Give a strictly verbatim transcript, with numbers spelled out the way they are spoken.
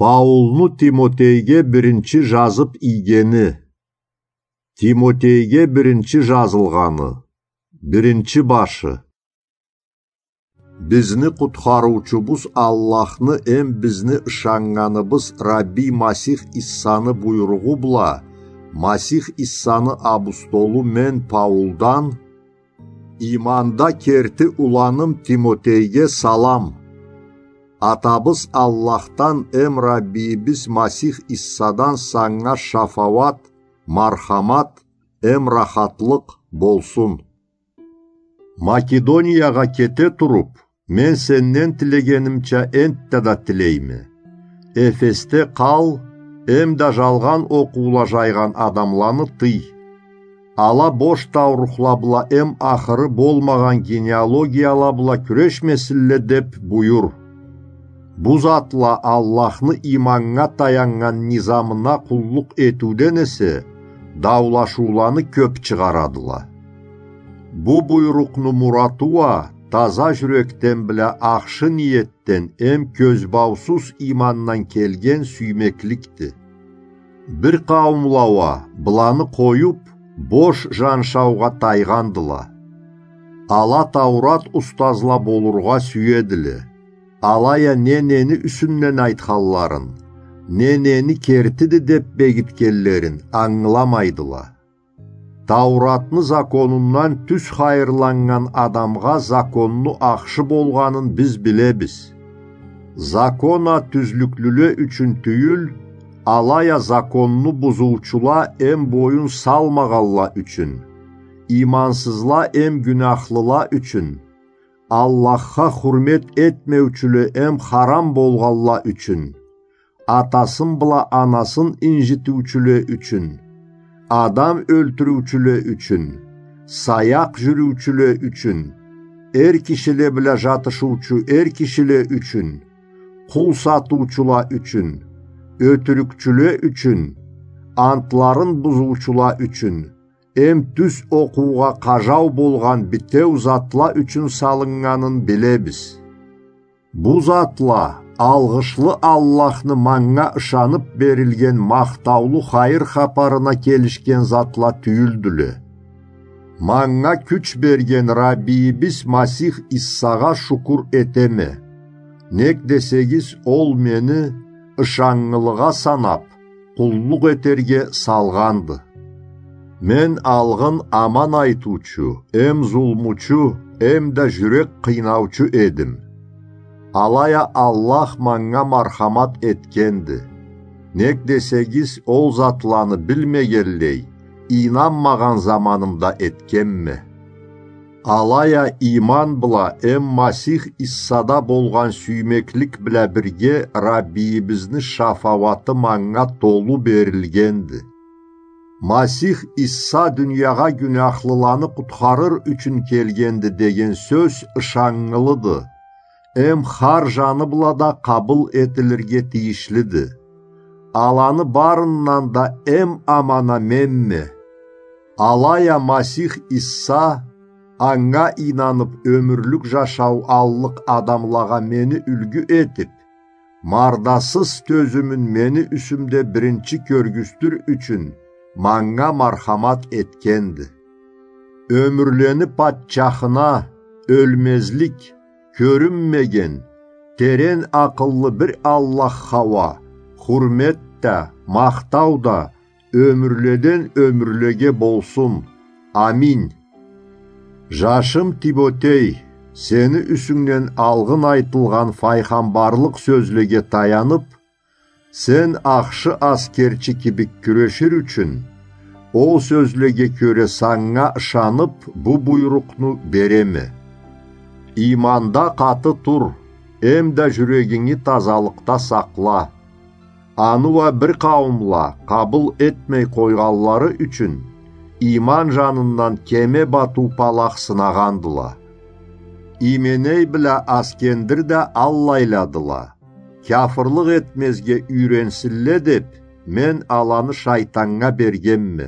Паулну Тимотейге биринчи жазып ийгени. Тимотейге биринчи жазылгъаны. Биринчи башы. Бизни Къутхарыучубуз Аллахны эм бизни ышаннганыбыз Рабби Масих Иссаны буйругъу бла, Масих Иссаны абустолу мен Паулдан, иманда керти уланым Тимотейге салам. Атабыз Аллахдан эм Раббийибиз Масих Иссадан санга шафауат, мархамат эм рахатлыкъ болсун. Македониягъа кете туруп, мен сенден тилегенимча энтта да тилейме. Эфесде къал, эм да жалгъан окъуула жайгъан адамланы тый. Ала бош таурухла бла эм ахыры болмагъан генеалогияла бла кюрешмесинле деп буюр. Бу затла Аллахны иманнга таяннган низамына къуллукъ этиуден эсе, даулашыуланы кёп чыгъарадыла. Бу буйрукъну мураты уа таза жюрекден бла ахшы ниетден эм кёзбаусуз имандан келген сюймекликди. Бир къауумла уа, быланы къоюп, бош жаншаугъа тайгъандыла. Ала Таурат устазла болургъа сюедиле. Алай а не-нени юсюнден айтханларын, не-нени кертиди деп бегитгенлерин ангыламайдыла. Тауратны законундан тюз хайырланнган адамгъа законну ахшы болгъанын биз билебиз. Закон а тюзлюклюле ючюн тюйюл, алай а законну бузуучула эм боюн салмагъанла ючюн, имансызла эм гюнахлыла ючюн, Аллахха хурмет этмеучюле эм харам болгъанла ючюн, атасын бла анасын инжитиучюле ючюн, адам ёлтюрюучюле ючюн, саякъ жюрюучюле ючюн, эр кишиле бла жатышыучу эр кишиле ючюн, къул сатыучула ючюн, ётюрюкчюле ючюн, антларын бузуучула ючюн, эм тюз окъуугъа къажау болгъан битеу затла ючюн салыннганын билебиз. Бу затла алгъышлы Аллахны манга ышанып берилген махтаулу хайыр хапарына келишген затла тюйюлдюле. Манга кюч берген Раббийибиз Масих Иссагъа шукур этеме. Нек десегиз, ол мени ышаннгылыгъа санап, къуллукъ этерге салгъанды. Мен алгъын аман айтыучу, эм зулмучу, эм да жюрек къыйнаучу эдим. Алай а Аллах манга мархамат этгенди. Нек десегиз, ол затланы билмегенлей, ийнанмагъан заманымда этгенме. Алай а иман бла эм Масих Иссада болгъан сюймеклик бла бирге Раббийибизни шафауаты манга толу берилгенди. Масих Исса дуниягъа гюнахлыланы къутхарыр ючюн келгенди деген сёз ышаннгылыды. Эм хар жаны бла да къабыл этилирге тийишлиди. Аланы барындан да эм аманы менме. Алай а Масих Исса, анга ийнанып, ёмюрлюк жашау аллыкъ адамлагъа мени юлгю этип, мардасыз тёзюмюн мени юсюмде биринчи кёргюзтюр ючюн, манга мархамат этгенди. Ёмюрлени патчахына, ёлмезлик, кёрюнмеген, терен акъыллы бир Аллахха уа хурмет да, махтау да ёмюрледен ёмюрлеге болсун. Амин. Жашым Тимотей, сени юсюнгден алгъын айтылгъан файгъамбарлыкъ сёзлеге таянып, сен ахшы аскерчи кибик кюрешир ючюн, ол сёзлеге кёре санга ышанып, бу буйрукъну береме. Иманда къаты тур, эм да жюрегинги тазалыкъда сакъла. Аны уа бир къауумла къабыл этмей къойгъанлары ючюн, иман жанындан кеме батыу палах сынагъандыла. Именей бла Аскендир да аллайладыла. Кяфырлыкъ этмезге юйренсинле деп, мен аланы шайтаннга бергенме.